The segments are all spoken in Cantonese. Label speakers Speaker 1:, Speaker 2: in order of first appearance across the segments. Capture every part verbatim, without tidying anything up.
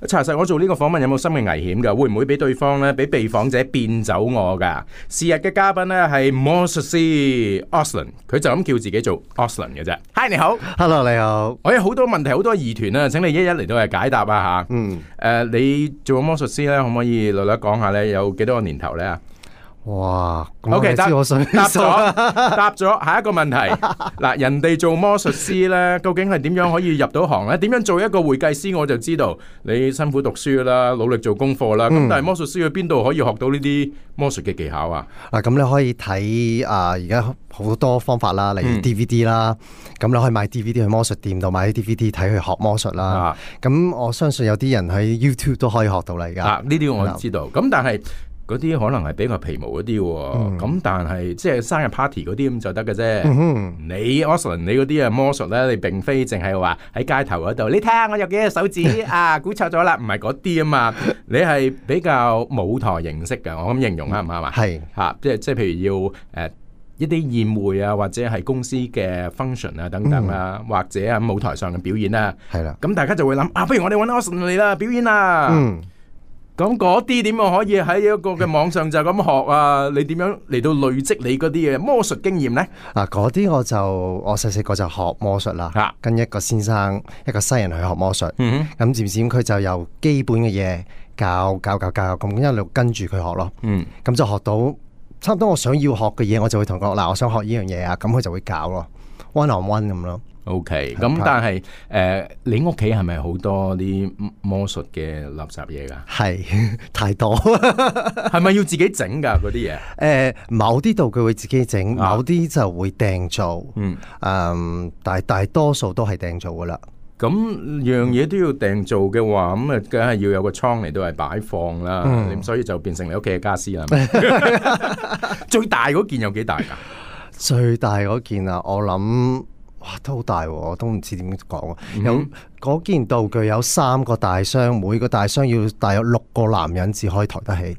Speaker 1: 查實我做呢個訪問有冇生命危險㗎？會唔會俾對方咧，俾被訪者變走我㗎？是日嘅嘉賓咧係魔術師 Auslan， 佢就咁叫自己做 Auslan 嘅啫。Hi， 你好
Speaker 2: ，Hello， 你好。
Speaker 1: 我有好多問題，好多疑團啊，請你一一嚟到嚟解答啊吓。嗯。誒、呃，你做魔術師咧，可唔可以略略講下咧？有幾多個年頭咧啊？
Speaker 2: 哇
Speaker 1: ！OK， 答
Speaker 2: 我想
Speaker 1: 答咗，答咗。下一個問題，嗱，人哋做魔術師咧，究竟係點樣可以入到行咧？點樣做一個會計師？我就知道你辛苦讀書啦，努力做功課啦。咁、嗯、但係魔術師去邊度可以學到呢啲魔術嘅技巧啊？
Speaker 2: 嗱，咁你可以睇啊，而家好多方法啦，例如 D V D 啦，咁、嗯、你可以買 D V D 去魔術店度買啲 D V D 睇去學魔術啦。咁、啊、我相信有啲人喺 YouTube 都可以學到嚟㗎。啊，
Speaker 1: 呢啲我知道。咁但係嗰啲可能係比較皮毛嗰啲喎，咁、嗯、但係即係生日 party 嗰啲咁就得嘅啫。你 Auslan 你嗰啲啊魔術咧，你並非淨係話喺街頭嗰度，你睇下我有幾隻手指啊，估錯咗啦，唔係嗰啲啊嘛，你係比較舞台形式嘅，我咁形容啱唔啱啊？係嚇，即係即係譬如要誒、呃、一啲宴會啊，或者係公司嘅 function 啊等等啊，嗯、或者啊舞台上嘅表演啊，係啦，咁大家就會諗啊，不如我哋揾 Auslan 嚟啦，表演啦。嗯咁嗰啲點樣可以喺一個嘅網上就咁學啊？你點樣嚟到累積你嗰啲嘅魔術經驗咧？
Speaker 2: 嗱，嗰啲我就我細細個就學魔術啦、啊，跟一個先生一個西人去學魔術。咁漸漸佢就由基本嘅嘢教教教教咁一路跟住佢學咯。咁、嗯、就學到差唔多我想要學嘅嘢，我就會同佢講嗱，我想學呢樣嘢啊，咁佢就會教咯 ，one on one 咁咯。
Speaker 1: OK，咁但係誒、呃，你屋企係咪好多啲魔術嘅垃圾嘢㗎？係
Speaker 2: 太多，
Speaker 1: 係咪要自己整㗎嗰啲嘢？誒、
Speaker 2: 呃，某啲道具會自己整，某啲就會訂做。嗯，嗯，但係大多數都係訂做㗎啦。
Speaker 1: 咁樣嘢都要訂做嘅話，咁啊，梗係要有個倉嚟到係擺放啦。咁、嗯、所以就變成你屋企嘅家私啦。最大嗰件有幾大㗎？
Speaker 2: 最大嗰件啊，我諗。哇，都好大喎！我都唔知點講啊。有嗰件道具有三個大箱，每個大箱要大約六個男人至可以抬得起。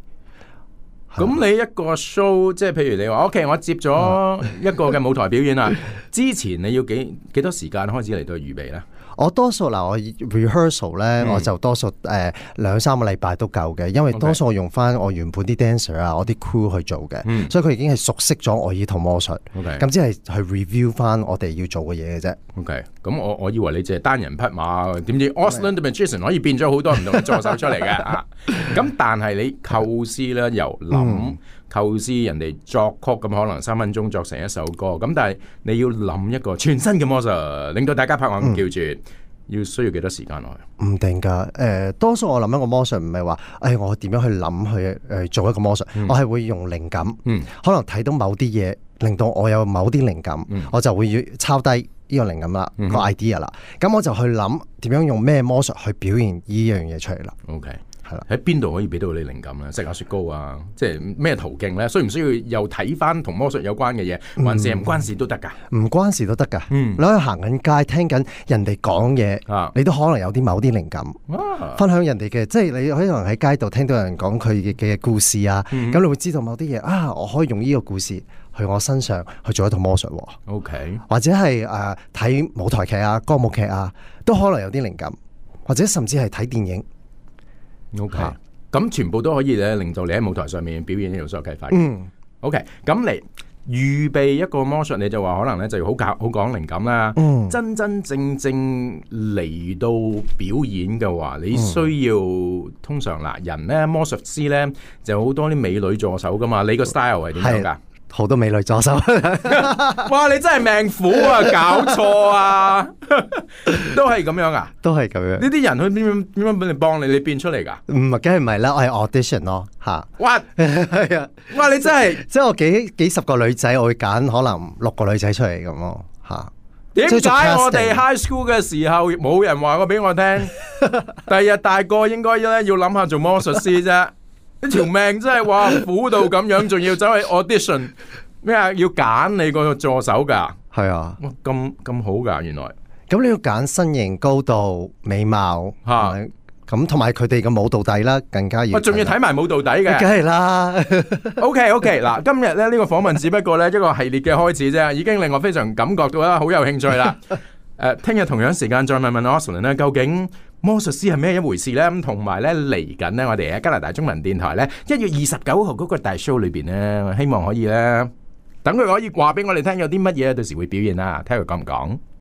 Speaker 1: 咁你一個 show， 即係譬如你話 OK， 我接咗一個嘅舞台表演啦，之前你要幾幾多時間開始嚟到預備咧？
Speaker 2: 我多數嗱，我 rehearsal 咧、嗯，我就多數誒兩三個禮拜都夠嘅，因為多數我用翻我原本啲 dancer 啊，我啲 crew 去做嘅、嗯，所以佢已經係熟悉咗我呢套魔術。咁只係去 review 翻我哋要做嘅嘢嘅啫。OK，咁我我以為你淨係單人匹馬，點知 Auslan the Magician 可以變咗好多唔同嘅助手出嚟嘅啊！咁但係你構思咧，由諗、嗯、構思人哋作曲，咁可能三分鐘作成一首歌，咁但係你要諗一個全新嘅魔術，令到大家拍案叫住。嗯要需要幾多時間落去？唔定㗎，誒、呃，多數我諗一個魔術唔係話，誒、哎，我點樣去諗去誒、呃、做一個魔術，嗯、我係會用靈感，嗯、可能睇到某啲嘢，令到我有某啲靈感，嗯、我就會要抄低呢個靈感啦，嗯、個 idea 啦，咁我就去諗點樣用咩魔術去表現呢樣嘢出嚟啦。OK。喺邊度可以俾到你靈感咧？食下雪糕啊，即係咩途徑咧？需唔需要又睇翻同魔術有關嘅嘢，還是唔關事都得噶？唔關事都得噶。嗯，你可以行緊街，聽緊人哋講嘢，啊，你都可能有啲某啲靈感，啊，分享人哋嘅，即係你可能喺街度聽到人講佢嘅嘅故事啊，咁、嗯、你會知道某啲嘢啊，我可以用呢個故事去我身上去做一套魔術。OK， 或者係誒睇舞台劇啊、歌舞劇啊，都可能有啲靈感，或者甚至係睇電影。OK，咁、啊、全部都可以咧，令到你喺舞台上面表演呢種所有啟發。嗯 ，OK，咁嚟預備一個魔術，你就話可能咧就要好教好講靈感啦。嗯，真真正正嚟到表演嘅話，你需要、嗯、通常嗱人咧魔術師咧就好多啲美女助手噶嘛，你個 style 係點樣噶？好多美女助手，哇！你真係命苦啊，搞錯啊，都係咁樣啊，都係咁樣。呢啲人去點樣點樣俾你幫你？你變出嚟噶？唔係，梗係唔係啦，我係 audition 咯，吓。哇，係啊，哇！你真係，即係我幾幾十個女仔，我會揀可能六個女仔出嚟咁咯，吓。點解我哋 high school 嘅時候冇人話過俾我聽？第日大個應該咧要諗下做魔術師啫。呢條命真係話苦到咁樣，仲要走去 audition 咩啊？要揀你個助手噶？係啊，咁咁好噶，原來。咁你要揀身形、高度、美貌吓，咁同埋佢哋嘅舞蹈底啦，更加要。我仲要睇埋舞蹈底嘅，梗係啦。OK OK， 嗱，今日咧呢個訪問只不過咧一個系列嘅開始啫，已經令我非常感覺到啦，好有興趣啦。誒、呃，聽日同樣時間再問問 Auslan 咧，究竟
Speaker 1: 魔術師係咩一回事呢？咁同埋咧嚟緊呢，我哋喺加拿大中文電台咧一月二十九號嗰個大 show 裏邊呢，希望可以咧等佢可以話俾我哋聽有啲乜嘢到時會表現啦，睇佢講唔講。